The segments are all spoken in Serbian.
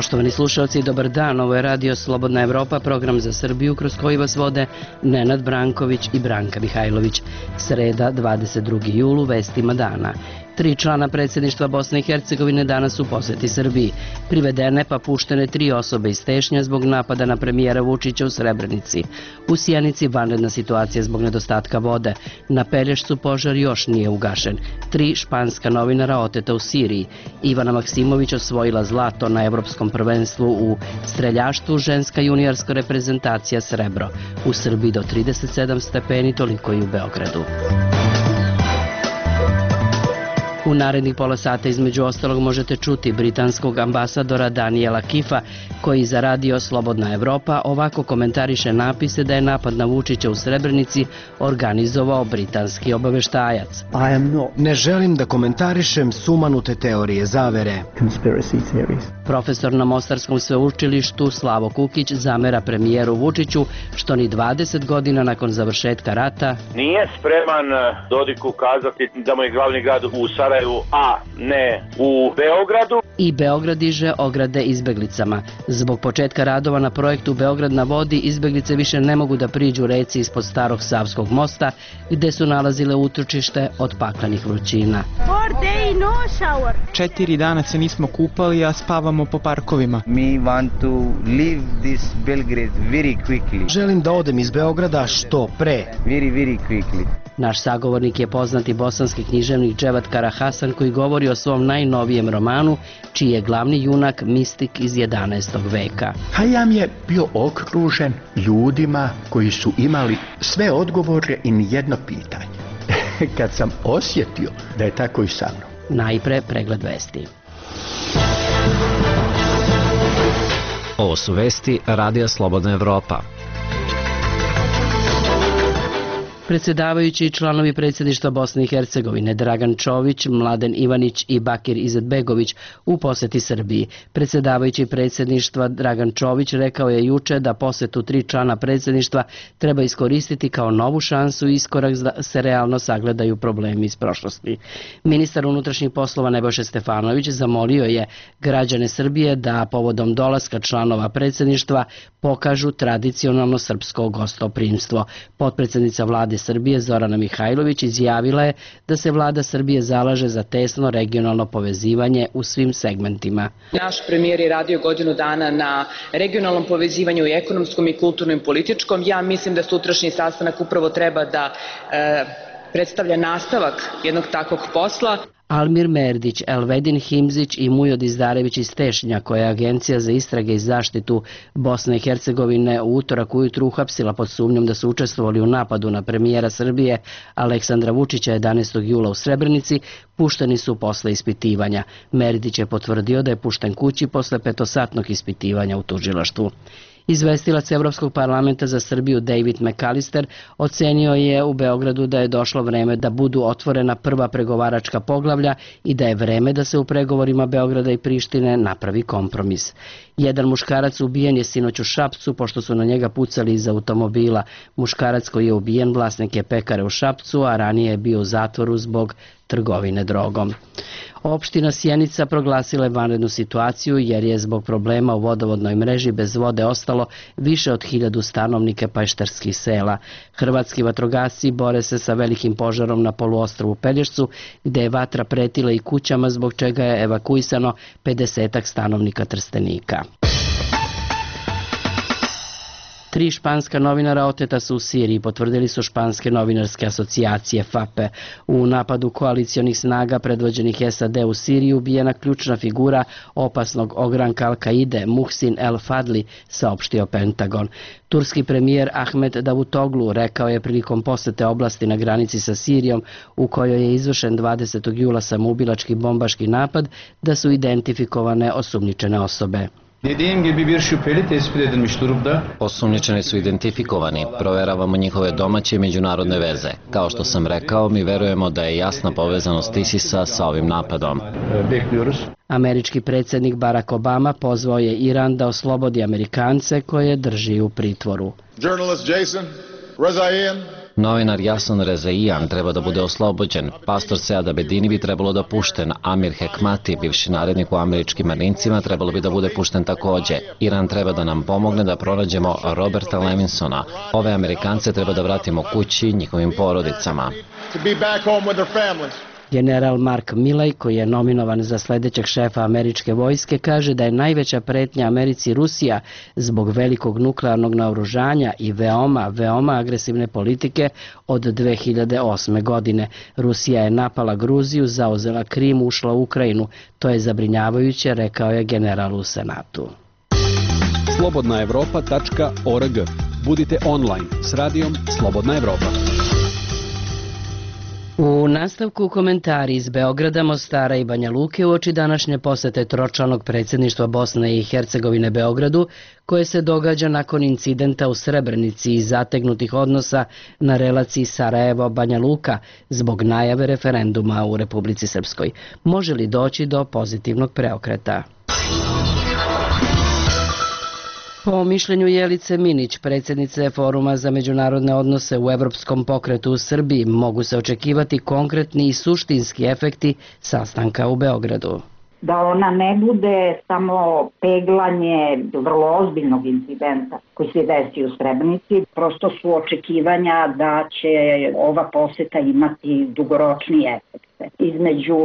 Poštovani slušalci, dobar dan. Ovo je Radio Slobodna Evropa, program za Srbiju kroz koji vas vode Nenad Branković i Branka Mihajlović. Sreda, 22. julu, vestima dana. 3 člana predsjedništva Bosne i Hercegovine danas u posjeti Srbiji. Privedene pa puštene 3 osobe iz Tešnja zbog napada na premijera Vučića u Srebrenici. U Sjenici vanredna situacija zbog nedostatka vode. Na Pelješcu požar još nije ugašen. 3 španska novinara oteta u Siriji. Ivana Maksimović osvojila zlato na Evropskom prvenstvu u streljaštvu, ženska juniorska reprezentacija srebro. U Srbiji do 37 stepeni, toliko i u Beogradu. U narednih pola sata između ostalog možete čuti britanskog ambasadora Daniela Kifa, koji za Radio Slobodna Evropa ovako komentariše napise da je napad na Vučića u Srebrenici organizovao britanski obaveštajac. Ne želim da komentarišem sumanute teorije zavere. Profesor na Mostarskom sveučilištu Slavo Kukić zamera premijeru Vučiću što ni 20 godina nakon završetka rata nije spreman Dodiku kazati da mu je glavni grad u Sarajevu, a ne u Beogradu. I Beograd diže ograde izbeglicama. Zbog početka radova na projektu Beograd na vodi, izbeglice više ne mogu da priđu reci ispod starog Savskog mosta, gde su nalazile utočište od paklenih vrućina. 4 dana se nismo kupali, a spavamo po parkovima. Želim da odem iz Beograda što pre. Naš sagovornik je poznati bosanski književnik Dževat Karahasan, koji govori o svom najnovijem romanu, čiji je glavni junak mistik iz 11. veka. Hajam je bio okružen ljudima koji su imali sve odgovore i nijedno pitanje. Kad sam osjetio da je tako i sa mnom. Najpre pregled vesti. Ovo su vesti Radija Slobodna Evropa. Predsjedavajući i članovi predsjedništva Bosne i Hercegovine Dragan Čović, Mladen Ivanić i Bakir Izetbegović u posjeti Srbiji. Predsjedavajući predsjedništva Dragan Čović rekao je juče da posjetu 3 člana predsjedništva treba iskoristiti kao novu šansu i iskorak da se realno sagledaju problemi iz prošlosti. Ministar unutrašnjih poslova Nebojša Stefanović zamolio je građane Srbije da povodom dolaska članova predsjedništva pokažu tradicionalno srpsko gostoprimstvo. Potpredsjednica vlade Srbije Zorana Mihajlović izjavila je da se vlada Srbije zalaže za tesno regionalno povezivanje u svim segmentima. Naš premijer je radio godinu dana na regionalnom povezivanju i ekonomskom i kulturnom i političkom. Ja mislim da sutrašnji sastanak upravo treba da predstavlja nastavak jednog takvog posla. Almir Merdić, Elvedin Himzić i Mujo Dizdarević iz Tešnja, koja je Agencija za istrage i zaštitu Bosne i Hercegovine u utorak ujutru uhapsila pod sumnjom da su učestvovali u napadu na premijera Srbije Aleksandra Vučića 11. jula u Srebrenici, pušteni su posle ispitivanja. Merdić je potvrdio da je pušten kući posle 5-satnog ispitivanja u tužilaštvu. Izvestilac Evropskog parlamenta za Srbiju David McAllister ocenio je u Beogradu da je došlo vreme da budu otvorena prva pregovaračka poglavlja i da je vreme da se u pregovorima Beograda i Prištine napravi kompromis. Jedan muškarac ubijen je sinoć u Šapcu pošto su na njega pucali iz automobila. Muškarac koji je ubijen vlasnik je pekare u Šapcu, a ranije je bio u zatvoru zbog trgovine drogom. Opština Sjenica proglasila je vanrednu situaciju jer je zbog problema u vodovodnoj mreži bez vode ostalo više od 1000 stanovnika pešterskih sela. Hrvatski vatrogasci bore se sa velikim požarom na poluostrvu Pelješcu, gde je vatra pretila i kućama, zbog čega je evakuisano 50 stanovnika Trstenika. 3 španska novinara oteta su u Siriji, potvrdili su španske novinarske asocijacije FAPE. U napadu koalicionih snaga predvođenih SAD u Siriji ubijena ključna figura opasnog ogranka Al-Kaide, Muhsin El-Fadli, saopštio Pentagon. Turski premijer Ahmet Davutoglu rekao je prilikom posete oblasti na granici sa Sirijom, u kojoj je izvršen 20. jula samoubilački bombaški napad, da su identifikovane osumnjičene osobe. Dediğim gibi bir şüpheli tespit edilmiş durumda. Osumnjičeni su identifikovani, proveravamo njihove domaće i međunarodne veze. Kao što sam rekao, mi verujemo da je jasna povezanost ISIS-a sa ovim napadom. Bekliyoruz. Američki predsjednik Barack Obama pozvao je Iran da oslobodi Amerikance koje drži u pritvoru. Journalist Jason Rezaian Novinar Jason Rezaian treba da bude oslobođen, pastor Sead Abedini bi trebalo da pušten, Amir Hekmati, bivši narednik u američkim marincima, trebalo bi da bude pušten takođe. Iran treba da nam pomogne da pronađemo Roberta Levinsona. Ove Amerikance treba da vratimo kući njihovim porodicama. General Mark Milley, koji je nominovan za sledećeg šefa američke vojske, kaže da je najveća pretnja Americi Rusija zbog velikog nuklearnog naoružanja i veoma agresivne politike od 2008. godine. Rusija je napala Gruziju, zauzela Krim, ušla u Ukrajinu. To je zabrinjavajuće, rekao je general u Senatu. slobodnaevropa.org. Budite online s radijom Slobodna Evropa. U nastavku komentari iz Beograda, Mostara i Banja Luke uoči današnje posete tročlanog predsjedništva Bosne i Hercegovine Beogradu, koje se događa nakon incidenta u Srebrenici i zategnutih odnosa na relaciji Sarajevo-Banja Luka zbog najave referenduma u Republici Srpskoj. Može li doći do pozitivnog preokreta? Po mišljenju Jelice Minić, predsjednice Foruma za međunarodne odnose u Evropskom pokretu u Srbiji, mogu se očekivati konkretni i suštinski efekti sastanka u Beogradu. Da ona ne bude samo peglanje vrlo ozbiljnog incidenta koji se desi u Srebrenici, prosto su očekivanja da će ova poseta imati dugoročni efekt. Između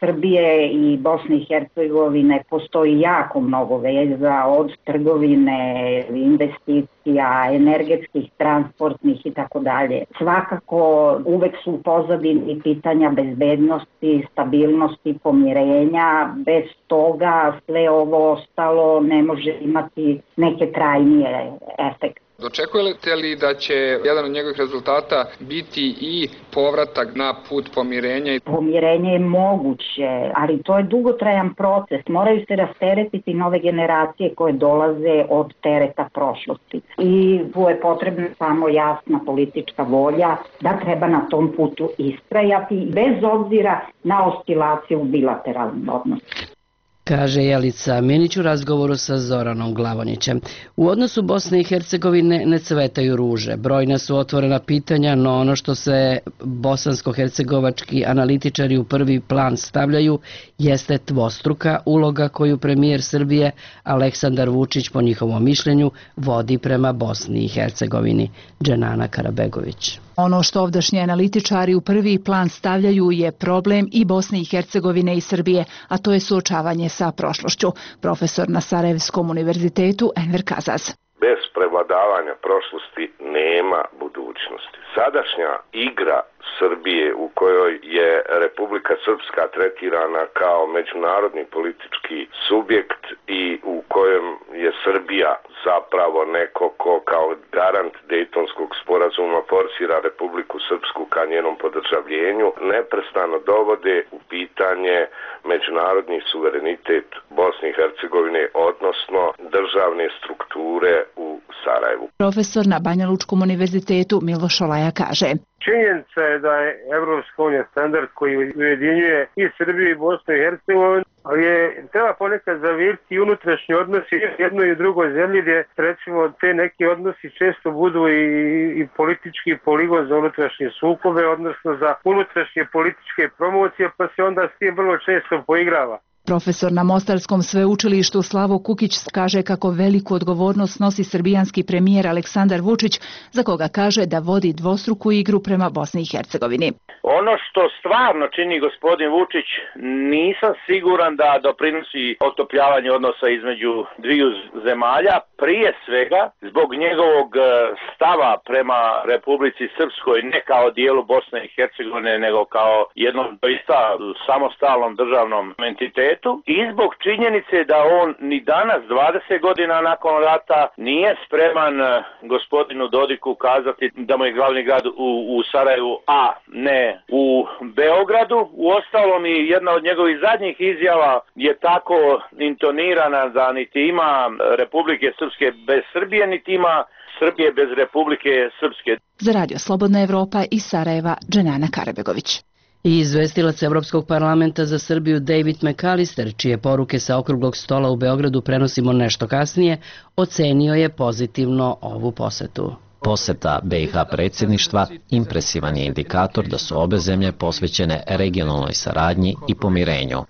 Srbije i Bosne i Hercegovine postoji jako mnogo veza, od trgovine, investicija, energetskih, transportnih i tako dalje. Svakako uvek su u pozadini pitanja bezbednosti, stabilnosti, pomirenja. Bez toga sve ovo ostalo ne može imati neke trajnije efekte. Očekujete li da će jedan od njegovih rezultata biti i povratak na put pomirenja? Pomirenje je moguće, ali to je dugotrajan proces. Moraju se rasteretiti nove generacije koje dolaze od tereta prošlosti. I tu je potrebna samo jasna politička volja da treba na tom putu istrajati bez obzira na oscilaciju u bilateralnim odnosima, kaže Jelica Minić u razgovoru sa Zoranom Glavonićem. U odnosu Bosne i Hercegovine ne cvetaju ruže. Brojna su otvorena pitanja, no ono što se bosansko-hercegovački analitičari u prvi plan stavljaju jeste dvostruka uloga koju premijer Srbije Aleksandar Vučić, po njihovom mišljenju, vodi prema Bosni i Hercegovini. Dženana Karabegović. Ono što ovdašnji analitičari u prvi plan stavljaju je problem i Bosne i Hercegovine i Srbije, a to je suočavanje sa prošlošću. Profesor na Sarajevskom univerzitetu Enver Kazaz. Bez prevladavanja prošlosti nema budućnosti. Sadašnja igra Srbije u kojoj je Republika Srpska tretirana kao međunarodni politički subjekt i u kojem je Srbija zapravo neko ko kao garant Dejtonskog sporazuma forsira Republiku Srpsku ka njenom podržavljenju, neprestano dovode u pitanje međunarodni suverenitet Bosne i Hercegovine, odnosno državne strukture u Sarajevu. Profesor na Banja Lučkom univerzitetu Miloš Olaja kaže: činjenica je da je Evropska unija standard koji ujedinjuje i Srbiju i Bosnu i Hercegovinu, ali treba ponekad zaviriti unutrašnji odnosi jednoj i drugoj zemlji gdje recimo te neki odnosi često budu i politički poligon za unutrašnje sukobe, odnosno za unutrašnje političke promocije, pa se onda s tim vrlo često poigrava. Profesor na Mostarskom sveučilištu Slavo Kukić kaže kako veliku odgovornost nosi srbijanski premijer Aleksandar Vučić, za koga kaže da vodi dvostruku igru prema Bosni i Hercegovini. Ono što stvarno čini gospodin Vučić, nisam siguran da doprinosi otopljavanju odnosa između dviju zemalja, prije svega zbog njegovog stava prema Republici Srpskoj, ne kao dijelu Bosne i Hercegovine, nego kao jednom doista samostalnom državnom entitetu, i zbog činjenice da on ni danas, 20 godina nakon rata, nije spreman gospodinu Dodiku kazati da mu je glavni grad u Sarajevu, a ne u Beogradu. Uostalom i jedna od njegovih zadnjih izjava je tako intonirana da niti ima Republike Srpske bez Srbije, niti ima Srbije bez Republike Srpske. Za Radio Slobodna Evropa iz Sarajeva, Dženana Karabegović. I izvestilac Evropskog parlamenta za Srbiju David McAllister, čije poruke sa okruglog stola u Beogradu prenosimo nešto kasnije, ocenio je pozitivno ovu posetu. Poseta BiH predsjedništva impresivan je indikator da su obe zemlje posvećene regionalnoj saradnji i pomirenju.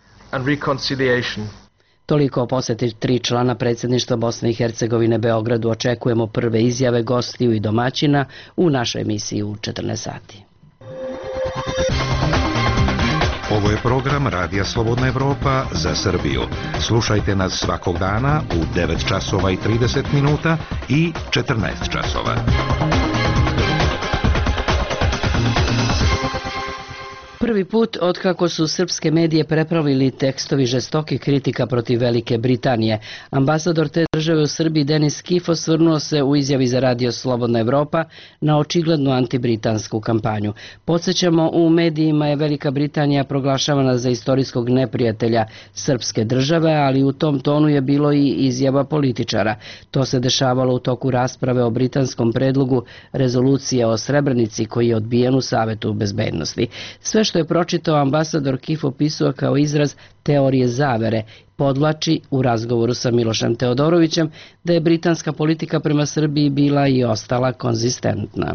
Toliko o poseti 3 člana predsjedništva Bosne i Hercegovine Beogradu. Očekujemo prve izjave gostiju i domaćina u našoj emisiji u 14 sati. Ovo je program Radija Slobodna Evropa za Srbiju. Slušajte nas svakog dana u 9 časova i 30 minuta i 14 časova. Prvi put otkako su srpske medije preplavili tekstovi žestokih kritika protiv Velike Britanije, ambasador te države u Srbiji Denis Kif osvrnuo se u izjavi za Radio Slobodna Evropa na očiglednu antibritansku kampanju. Podsjećamo, u medijima je Velika Britanija proglašavana za istorijskog neprijatelja srpske države, ali u tom tonu je bilo i izjava političara. To se dešavalo u toku rasprave o britanskom predlogu rezolucije o Srebrenici koji je odbijen u Savetu bezbednosti. Sve što je pročitao, ambasador Kif opisuje kao izraz teorije zavere. Podvlači u razgovoru sa Milošem Teodorovićem da je britanska politika prema Srbiji bila i ostala konzistentna.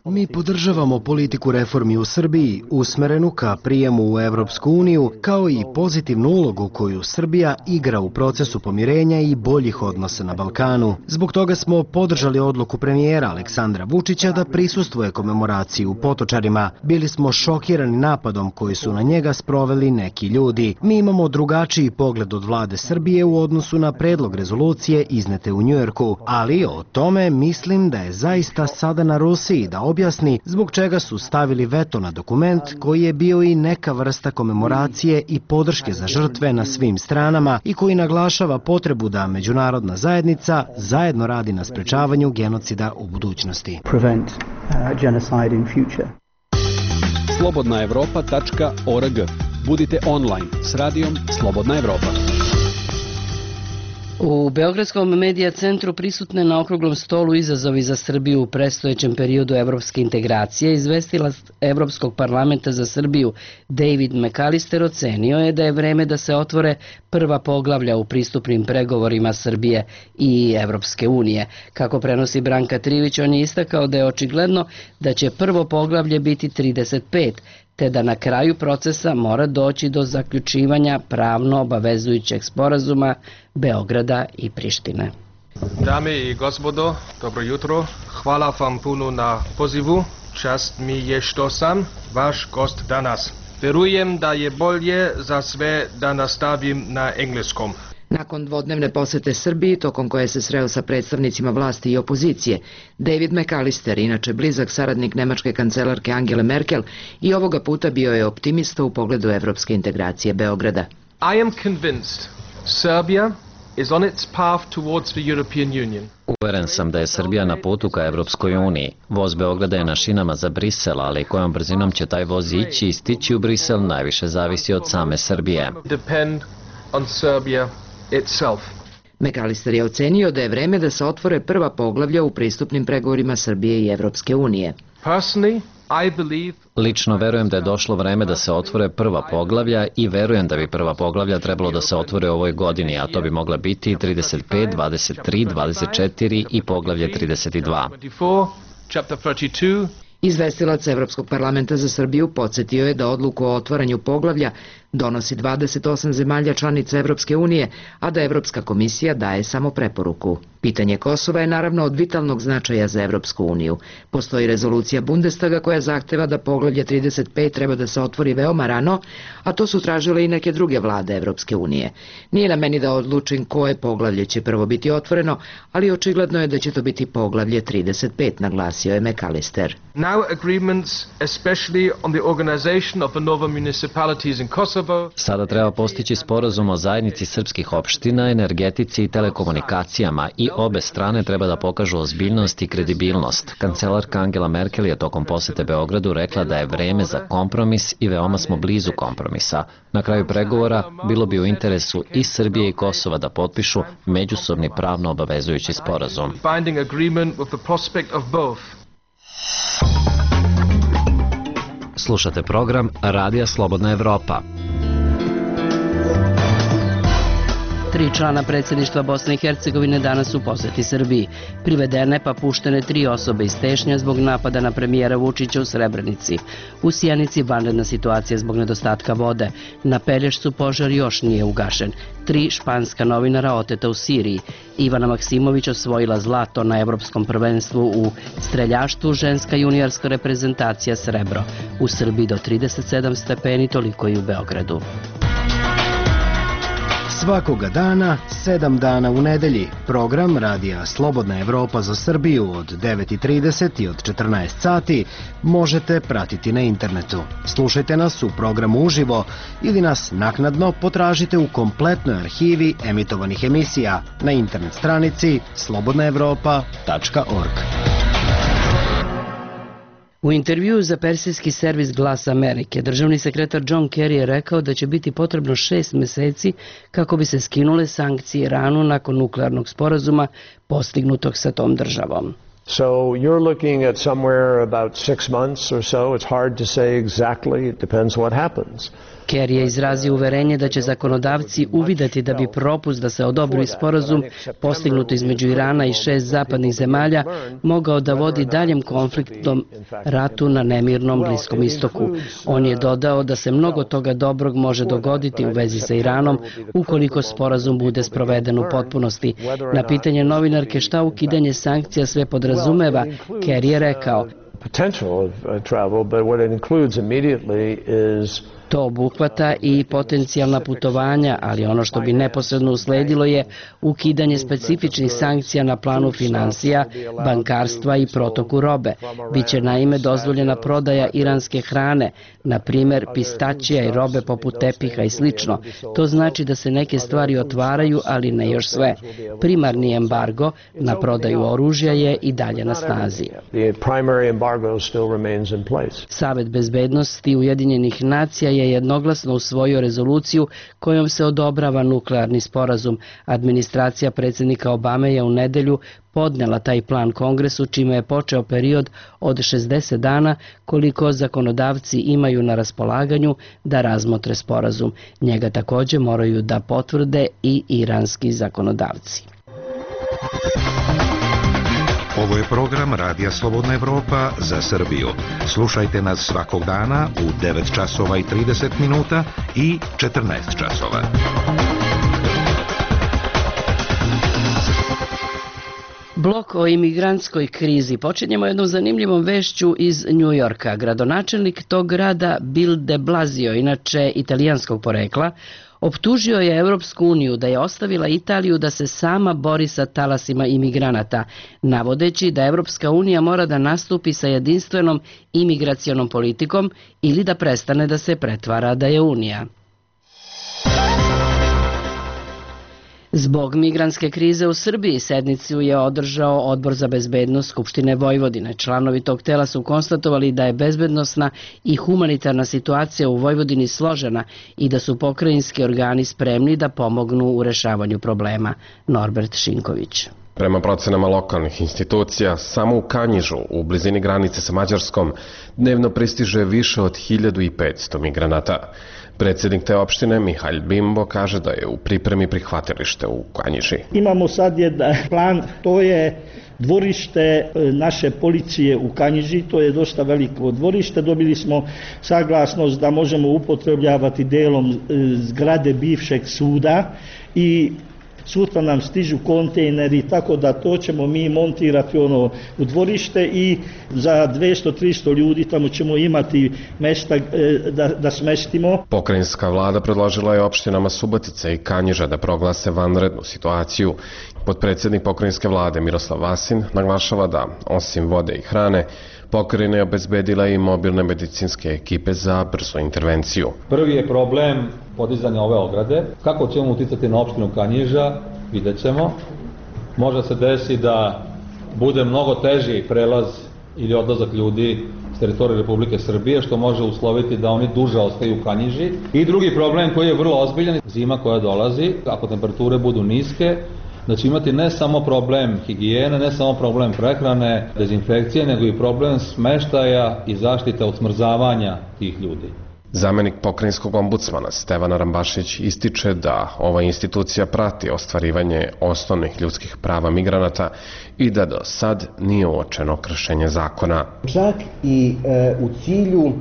Mi podržavamo politiku reformi u Srbiji, usmerenu ka prijemu u Evropsku uniju, kao i pozitivnu ulogu koju Srbija igra u procesu pomirenja i boljih odnosa na Balkanu. Zbog toga smo podržali odluku premijera Aleksandra Vučića da prisustvuje komemoraciji u Potočarima. Bili smo šokirani napadom koji su na njega sproveli neki ljudi. Mi imamo drugačiji pogled od vlade Srbije u odnosu na predlog rezolucije iznete u Njujorku, ali o tome mislim da je zaista sada na Rusiji da objasni zbog čega su stavili veto na dokument koji je bio i neka vrsta komemoracije i podrške za žrtve na svim stranama i koji naglašava potrebu da međunarodna zajednica zajedno radi na sprečavanju genocida u budućnosti. Slobodnaevropa.org. Budite online s radijom Slobodna Evropa. U Beogradskom medija centru prisutne na okruglom stolu izazovi za Srbiju u predstojećem periodu evropske integracije, izvestilac Evropskog parlamenta za Srbiju David McAllister ocenio je da je vreme da se otvore prva poglavlja u pristupnim pregovorima Srbije i Evropske unije. Kako prenosi Branka Trivić, on je istakao da je očigledno da će prvo poglavlje biti 35, te da na kraju procesa mora doći do zaključivanja pravno obavezujućeg sporazuma Beograda i Prištine. Dame i gospodo, dobro jutro. Hvala vam puno na pozivu. Čast mi je što sam vaš gost danas. Verujem da je bolje za sve da nastavim na engleskom. Nakon dvodnevne posete Srbiji, tokom koje se sreo sa predstavnicima vlasti i opozicije, David McAllister, inače blizak saradnik nemačke kancelarke Angele Merkel, i ovoga puta bio je optimista u pogledu evropske integracije Beograda. I am convinced Serbia is on its path towards the European Union. Uveren sam da je Srbija na putu ka Evropskoj uniji. Voz Beograda je na šinama za Brisel, ali kojom brzinom će taj voz ići i stići u Brisel najviše zavisi od same Srbije. Depend on Serbia itself. McAllister je ocenio da je vreme da se otvore prva poglavlja u pristupnim pregovorima Srbije i Evropske unije. Personally, I believe Lično verujem da je došlo vreme da se otvore prva poglavlja i verujem da bi prva poglavlja trebalo da se otvore u ovoj godini, a to bi mogla biti 35, 23, 24 i poglavlje 32. Izvestilac Evropskog parlamenta za Srbiju podsjetio je da odluku o otvaranju poglavlja donosi 28 zemalja članica Evropske unije, a da Evropska komisija daje samo preporuku. Pitanje Kosova je naravno od vitalnog značaja za Evropsku uniju. Postoji rezolucija Bundestaga koja zahteva da poglavlje 35 treba da se otvori veoma rano, a to su tražile i neke druge vlade Evropske unije. Nije na meni da odlučim koje poglavlje će prvo biti otvoreno, ali očigledno je da će to biti poglavlje 35, naglasio je McAllister. Now agreements, especially on the organization of the nova municipalities in Kosovo. Sada treba postići sporazum o zajednici srpskih opština, energetici i telekomunikacijama i obe strane treba da pokažu ozbiljnost i kredibilnost. Kancelarka Angela Merkel je tokom posete Beogradu rekla da je vreme za kompromis i veoma smo blizu kompromisa. Na kraju pregovora bilo bi u interesu i Srbije i Kosova da potpišu međusobni pravno obavezujući sporazum. Slušate program Radija Slobodna Evropa. 3 člana predsjedništva Bosne i Hercegovine danas u posjeti Srbiji. Privedene pa puštene 3 osobe iz Tešnja zbog napada na premijera Vučića u Srebrenici. U Sjenici vanredna situacija zbog nedostatka vode. Na Pelješcu požar još nije ugašen. 3 španska novinara oteta u Siriji. Ivana Maksimović osvojila zlato na Evropskom prvenstvu u streljaštvu, ženska juniorska reprezentacija srebro. U Srbiji do 37 stepeni, toliko i u Beogradu. Svakoga dana, 7 dana u nedelji, program Radija Slobodna Evropa za Srbiju od 9:30 i od 14 sati možete pratiti na internetu. Slušajte nas u programu uživo ili nas naknadno potražite u kompletnoj arhivi emitovanih emisija na internet stranici slobodnaevropa.org. U intervjuu za persijski servis Glas Amerike, državni sekretar John Kerry je rekao da će biti potrebno 6 meseci kako bi se skinule sankcije Iranu nakon nuklearnog sporazuma postignutog sa tom državom. So you're looking at somewhere about 6 months or so. It's hard to say exactly. It depends what happens. Kerry je izrazio uverenje da će zakonodavci uvideti da bi propust da se odobri sporazum postignut između Irana i 6 zapadnih zemalja mogao da vodi daljem konfliktnom ratu na nemirnom Bliskom istoku. On je dodao da se mnogo toga dobrog može dogoditi u vezi sa Iranom ukoliko sporazum bude sproveden u potpunosti. Na pitanje novinarke šta ukidanje sankcija sve podrazumeva, Kerry je rekao: to obuhvata i potencijalna putovanja, ali ono što bi neposredno usledilo je ukidanje specifičnih sankcija na planu finansija, bankarstva i protoku robe. Biće naime dozvoljena prodaja iranske hrane, na primjer pistačija i robe poput tepiha i slično. To znači da se neke stvari otvaraju, ali ne još sve. Primarni embargo na prodaju oružja je i dalje na snazi. Savet bezbednosti Ujedinjenih nacija je jednoglasno usvojio rezoluciju kojom se odobrava nuklearni sporazum. Administracija predsjednika Obame je u nedelju podnela taj plan Kongresu, čime je počeo period od 60 dana koliko zakonodavci imaju na raspolaganju da razmotre sporazum. Njega također moraju da potvrde i iranski zakonodavci. Ovo je program Radija Slobodna Evropa za Srbiju. Slušajte nas svakog dana u 9 časova i 30 minuta i 14 časova. Blok o imigrantskoj krizi. Počinjemo jednom zanimljivom vešću iz New Yorka. Gradonačelnik tog grada Bill de Blasio, inače italijanskog porekla, optužio je Evropsku uniju da je ostavila Italiju da se sama bori sa talasima imigranata, navodeći da Evropska unija mora da nastupi sa jedinstvenom imigracionom politikom ili da prestane da se pretvara da je unija. Zbog migrantske krize u Srbiji sednicu je održao Odbor za bezbednost Skupštine Vojvodine. Članovi tog tela su konstatovali da je bezbednosna i humanitarna situacija u Vojvodini složena i da su pokrajinski organi spremni da pomognu u rešavanju problema. Norbert Šinković. Prema procenama lokalnih institucija, samo u Kanjižu, u blizini granice sa Mađarskom, dnevno pristiže više od 1500 migranata. Predsjednik te opštine, Mihalj Bimbo, kaže da je u pripremi prihvatilište u Kanjiži. Imamo sad jedan plan, to je dvorište naše policije u Kanjiži, to je dosta veliko dvorište. Dobili smo saglasnost da možemo upotrebljavati delom zgrade bivšeg suda i sutra nam stižu kontejneri, tako da to ćemo mi montirati u dvorište i za 200-300 ljudi tamo ćemo imati mjesta da smestimo. Pokrajinska vlada predložila je opštinama Subotica i Kanjiža da proglase vanrednu situaciju. Potpredsjednik pokrajinske vlade Miroslav Vasin naglašava da, osim vode i hrane, pokrajina je obezbedila i mobilne medicinske ekipe za brzu intervenciju. Prvi je problem podizanja ove ograde. Kako ćemo uticati na opštinu Kanjiža, vidjet ćemo. Može se desi da bude mnogo teži prelaz ili odlazak ljudi s teritorije Republike Srbije, što može usloviti da oni duže ostaju u Kanjiži. I drugi problem koji je vrlo ozbiljan, zima koja dolazi, ako temperature budu niske, da će imati ne samo problem higijene, ne samo problem prehrane, dezinfekcije, nego i problem smeštaja i zaštite od smrzavanja tih ljudi. Zamenik pokrajinskog ombudsmana Stevana Rambašić ističe da ova institucija prati ostvarivanje osnovnih ljudskih prava migranata i da do sad nije uočeno kršenje zakona. Čak i u cilju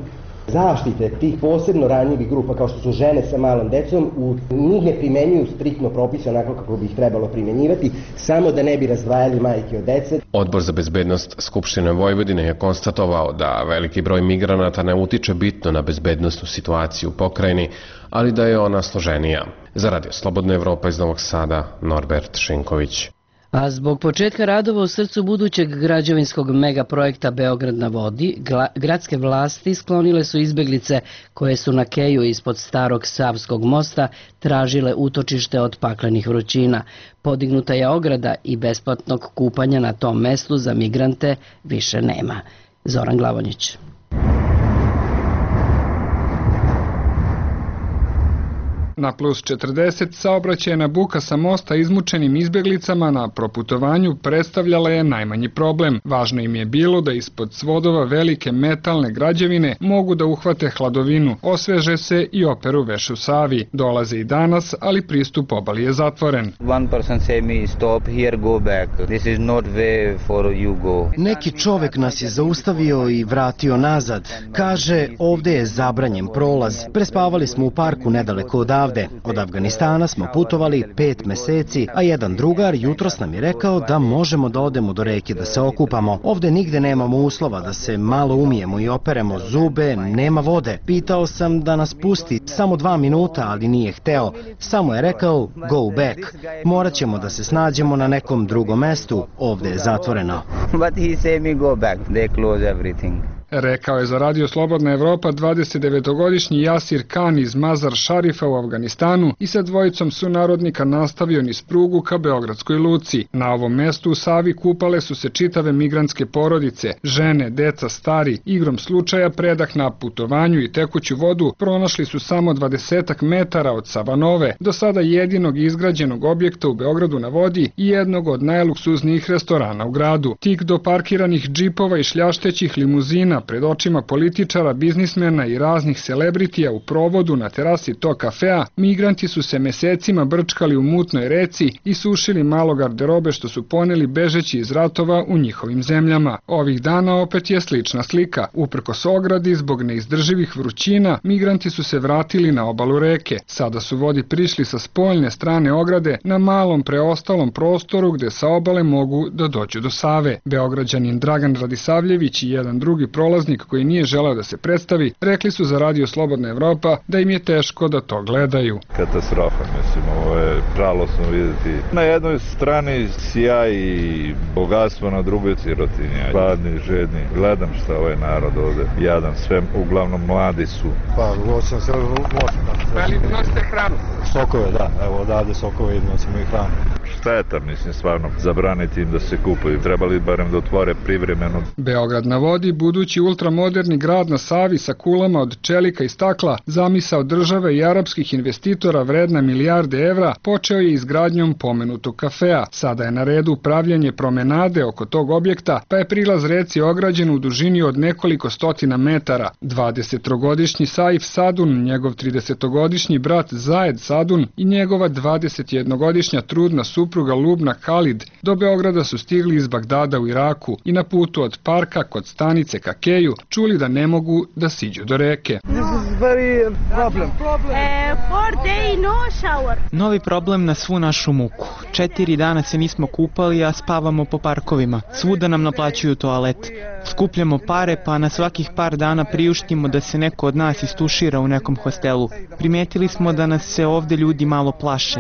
zaštite tih posebno ranjivih grupa kao što su žene sa malom decom, njih ne primenjuju striktno propise onako kako bi ih trebalo primenjivati, samo da ne bi razdvajali majke od dece. Odbor za bezbednost Skupštine Vojvodine je konstatovao da veliki broj migranata ne utiče bitno na bezbednosnu situaciju u pokrajini, ali da je ona složenija. Za Radio Slobodna Evropa iz Novog Sada, Norbert Šinković. A zbog početka radova u srcu budućeg građevinskog megaprojekta Beograd na vodi, gradske vlasti sklonile su izbeglice koje su na keju ispod starog Savskog mosta tražile utočište od paklenih vrućina. Podignuta je ograda i besplatnog kupanja na tom mestu za migrante više nema. Zoran Glavonjić. Na plus 40 saobraćajna buka sa mosta izmučenim izbjeglicama na proputovanju predstavljala je najmanji problem. Važno im je bilo da ispod svodova velike metalne građevine mogu da uhvate hladovinu, osveže se i operu veš u Savi. Dolaze i danas, ali pristup obali je zatvoren. Neki čovek nas je zaustavio i vratio nazad. Kaže, ovde je zabranjen prolaz. Prespavali smo u parku nedaleko odavde. Od Afganistana smo putovali 5 meseci, a jedan drugar jutros nam je rekao da možemo da odemo do reke da se okupamo. Ovde nigde nemamo uslova da se malo umijemo i operemo zube, nema vode. Pitao sam da nas pusti samo 2 minuta, ali nije hteo. Samo je rekao go back. Morat ćemo da se snađemo na nekom drugom mestu. Ovde je zatvoreno. Rekao je za Radio Slobodna Evropa 29-godišnji Jasir Khan iz Mazar Šarifa u Afganistanu i sa dvojicom sunarodnika nastavio niz prugu ka Beogradskoj luci. Na ovom mestu u Savi kupale su se čitave migrantske porodice, žene, deca, stari. Igrom slučaja predah na putovanju i tekuću vodu pronašli su samo 20 metara od Savanove, do sada jedinog izgrađenog objekta u Beogradu na vodi i jednog od najluksuznijih restorana u gradu. Tik do parkiranih džipova i šljaštećih limuzina pred očima političara, biznismena i raznih celebritija u provodu na terasi tog kafea, migranti su se mesecima brčkali u mutnoj reci i sušili malo garderobe što su poneli bežeći iz ratova u njihovim zemljama. Ovih dana opet je slična slika. Uprkos ogradi, zbog neizdrživih vrućina, migranti su se vratili na obalu reke. Sada su vodi prišli sa spoljne strane ograde na malom preostalom prostoru gde sa obale mogu da dođu do Save. Beograđanin Dragan Radisavljević i jedan drugi prolaznik koji nije želeo da se predstavi, rekli su za Radio Slobodna Evropa da im je teško da to gledaju. Katastrofa, mislim, ovo je žalosno vidjeti. Na jednoj strani sjaj i bogatstvo, na drugoj sirotinja. Gladni, žedni. Gledam šta ovaj narod ovde jadan, sve uglavnom mladi su. Pa, nosimo se Ali nosite hranu? Sokove, da. Evo odavde sokove i nosimo i hranu. Šteta, mislim, stvarno, zabraniti im da se kupuju. Trebali barem da otvore privremeno. Beograd na vodi, budući ultramoderni grad na Savi sa kulama od čelika i stakla, zamisao države i arapskih investitora vredna milijarde evra, počeo je izgradnjom pomenutog kafea. Sada je na redu pravljenje promenade oko tog objekta, pa je prilaz reci ograđen u dužini od nekoliko stotina metara. 20-godišnji Saif Sadun, njegov 30-godišnji brat Zajed Sadun i njegova 21-godišnja trudna supruga Lubna Khalid do Beograda su stigli iz Bagdada u Iraku i na putu od parka kod stanice ka keju čuli da ne mogu da siđu do reke. Novi problem na svu našu muku. 4 dana se nismo kupali, a spavamo po parkovima. Svuda nam naplaćuju toalet. Skupljamo pare, pa na svakih par dana priuštimo da se neko od nas istušira u nekom hostelu. Primetili smo da nas se ovde ljudi malo plaše.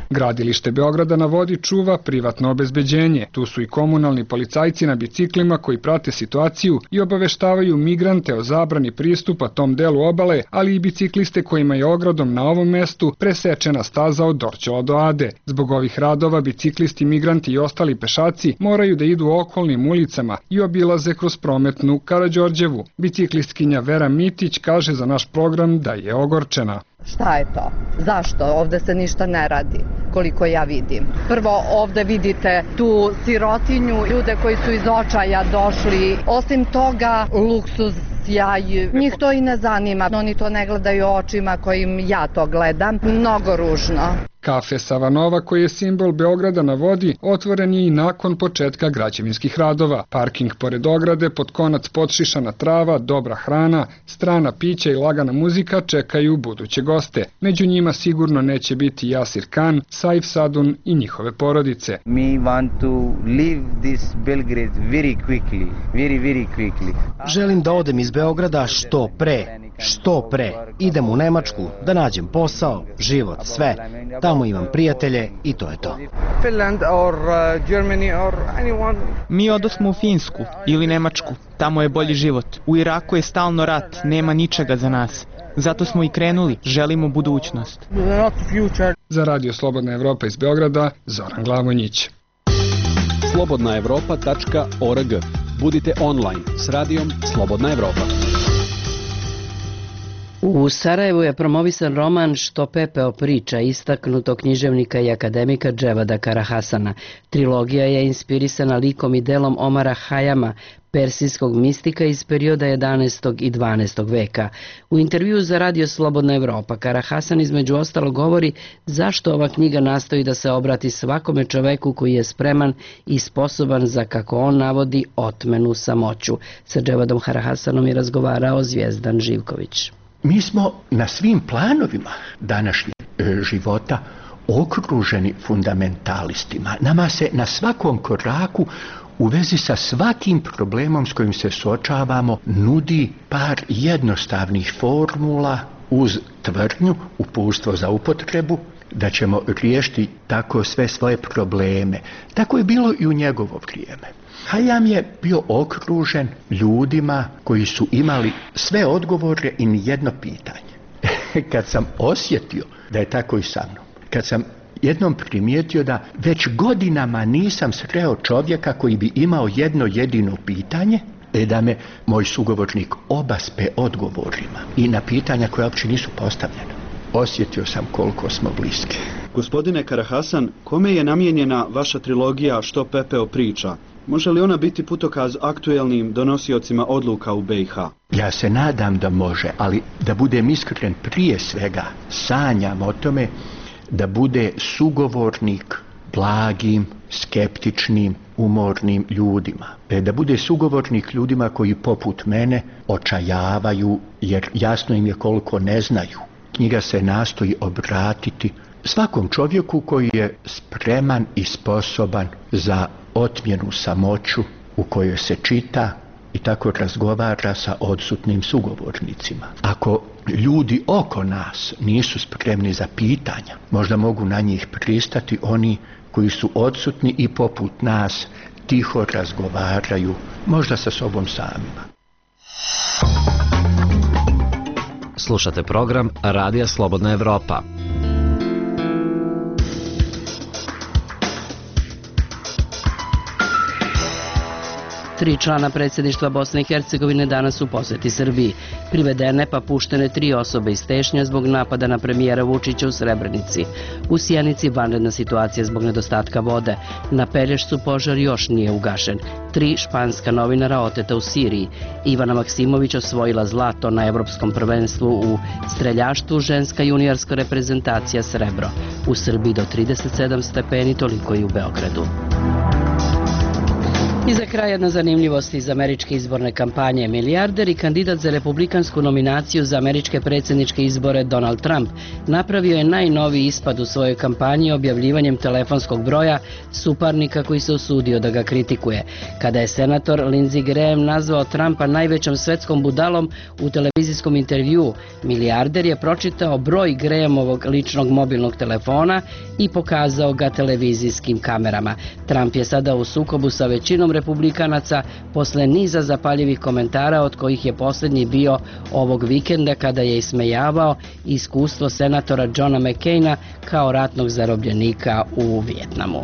Gradilište Beograda na vodi čuva privatno obezbeđenje. Tu su i komunalni policajci na biciklima koji prate situaciju i obaveštavaju migrante o zabrani pristupa tom delu obale, ali i bicikliste kojima je ogradom na ovom mestu presečena staza od Dorćola do Ade. Zbog ovih radova biciklisti, migranti i ostali pešaci moraju da idu okolnim ulicama i obilaze kroz prometnu Karađorđevu. Biciklistkinja Vera Mitić kaže za naš program da je ogorčena. Šta je to? Zašto? Ovde se ništa ne radi, koliko ja vidim. Prvo, ovde vidite tu sirotinju, ljude koji su iz očaja došli. Osim toga, luksuz, sjaj, njih to i ne zanima. Oni to ne gledaju očima kojim ja to gledam. Mnogo ružno. Kafe Savanova, koji je simbol Beograda na vodi, otvoren je i nakon početka građevinskih radova. Parking pored ograde, pod konac podšišana trava, dobra hrana, strana pića i lagana muzika čekaju buduće goste. Među njima sigurno neće biti Jasir Khan, Saif Sadun i njihove porodice. We want to leave this Belgrade very quickly. Želim da odem iz Beograda što pre. Idem u Nemačku da nađem posao, život, sve. Tamo imam prijatelje i to je to. Finland or Germany or anyone. Mi odosmo u Finsku ili Nemačku. Tamo je bolji život. U Iraku je stalno rat, nema ničega za nas. Zato smo i krenuli, želimo budućnost. Za Radio Slobodna Evropa iz Beograda, Zoran Glavonjić. slobodnaevropa.org. Budite online s radijom Slobodna Evropa. U Sarajevu je promovisan roman Što pepeo priča istaknutog književnika i akademika Dževada Karahasana. Trilogija je inspirisana likom i delom Omara Hayama, persijskog mistika iz perioda 11. i 12. veka. U intervjuu za Radio Slobodna Evropa Karahasan između ostalog govori zašto ova knjiga nastoji da se obrati svakome čoveku koji je spreman i sposoban za, kako on navodi, otmenu samoću. Sa Dževadom Karahasanom je razgovarao Zvijezdan Živković. Mi smo na svim planovima današnjeg života okruženi fundamentalistima. Nama se na svakom koraku u vezi sa svakim problemom s kojim se suočavamo nudi par jednostavnih formula uz tvrdnju, uputstvo za upotrebu, da ćemo riješiti tako sve svoje probleme. Tako je bilo i u njegovo vrijeme. Hayam je bio okružen ljudima koji su imali sve odgovore i nijedno pitanje. Kad sam osjetio da je tako i sa mnom, kad sam jednom primijetio da već godinama nisam sreo čovjeka koji bi imao jedno jedino pitanje, da me moj sugovornik obaspe odgovorima i na pitanja koja uopće nisu postavljena. Osjetio sam koliko smo bliski. Gospodine Karahasan, kome je namijenjena vaša trilogija Što pepeo priča? Može li ona biti putokaz aktuelnim donosiocima odluka u BiH? Ja se nadam da može, ali da budem iskren, prije svega sanjam o tome da bude sugovornik blagim, skeptičnim, umornim ljudima. Da bude sugovornik ljudima koji poput mene očajavaju jer jasno im je koliko ne znaju. Knjiga se nastoji obratiti svakom čovjeku koji je spreman i sposoban za otmjenu samoću u kojoj se čita i tako razgovara sa odsutnim sugovornicima. Ako ljudi oko nas nisu spremni za pitanja, možda mogu na njih pristati oni koji su odsutni i poput nas tiho razgovaraju, možda sa sobom samima. Slušate program Radija Slobodna Evropa. 3 člana predsjedništva Bosne i Hercegovine danas u posjeti Srbiji. Privedene pa puštene 3 osobe iz Tešnja zbog napada na premijera Vučića u Srebrenici. U Sjenici vanredna situacija zbog nedostatka vode. Na Pelješcu požar još nije ugašen. 3 španska novinara oteta u Siriji. Ivana Maksimović osvojila zlato na Evropskom prvenstvu u streljaštvu, ženska juniorska reprezentacija srebro. U Srbiji do 37 stepeni, toliko i u Beogradu. I za kraj jedna zanimljivost iz američke izborne kampanje. Milijarder i kandidat za republikansku nominaciju za američke predsjedničke izbore Donald Trump napravio je najnoviji ispad u svojoj kampanji objavljivanjem telefonskog broja suparnika koji se usudio da ga kritikuje. Kada je senator Lindsey Graham nazvao Trumpa najvećom svetskom budalom u televizijskom intervjuu, milijarder je pročitao broj Grahamovog ličnog mobilnog telefona i pokazao ga televizijskim kamerama. Trump je sada u sukobu sa većinom republikanaca posle niza zapaljivih komentara, od kojih je posljednji bio ovog vikenda kada je ismejavao iskustvo senatora Johna McCaina kao ratnog zarobljenika u Vijetnamu.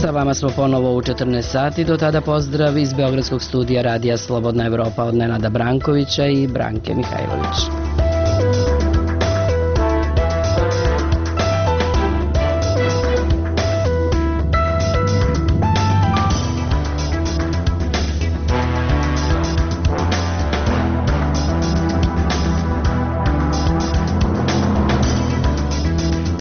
Sa vama smo ponovo u 14 sati, do tada pozdrav iz Beogradskog studija Radija Slobodna Evropa od Nenada Brankovića i Branke Mihajlović.